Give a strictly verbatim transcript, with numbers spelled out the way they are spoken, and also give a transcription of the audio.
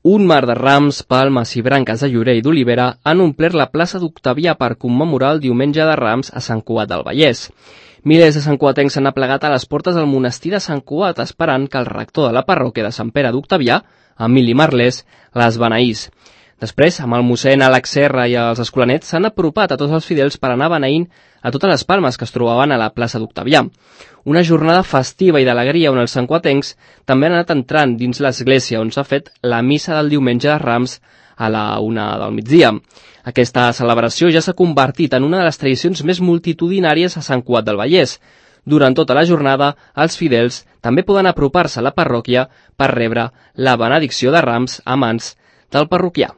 Un mar de rams, palmes i branques de llorer i d'olivera han omplert la plaça d'Octavià per commemorar el diumenge de Rams a Sant Cugat del Vallès. Milers de santcugatencs s'han aplegat a les portes del monestir de Sant Cugat esperant que el rector de la parròquia de Sant Pere d'Octavià, Emili Marlès, les beneís. Després, amb el mossèn Àlex Serra i els escolanets, s'han apropat a tots els fidels per anar beneint a totes les palmes que es trobaven a la plaça d'Octavià. Una jornada festiva i d'alegria on els santcugatencs també han anat entrant dins l'església on s'ha fet la missa del diumenge de Rams a la una del migdia. Aquesta celebració ja s'ha convertit en una de les tradicions més multitudinàries a Sant Cugat del Vallès. Durant tota la jornada, els fidels també poden apropar-se a la parròquia per rebre la benedicció de Rams a mans del parroquià.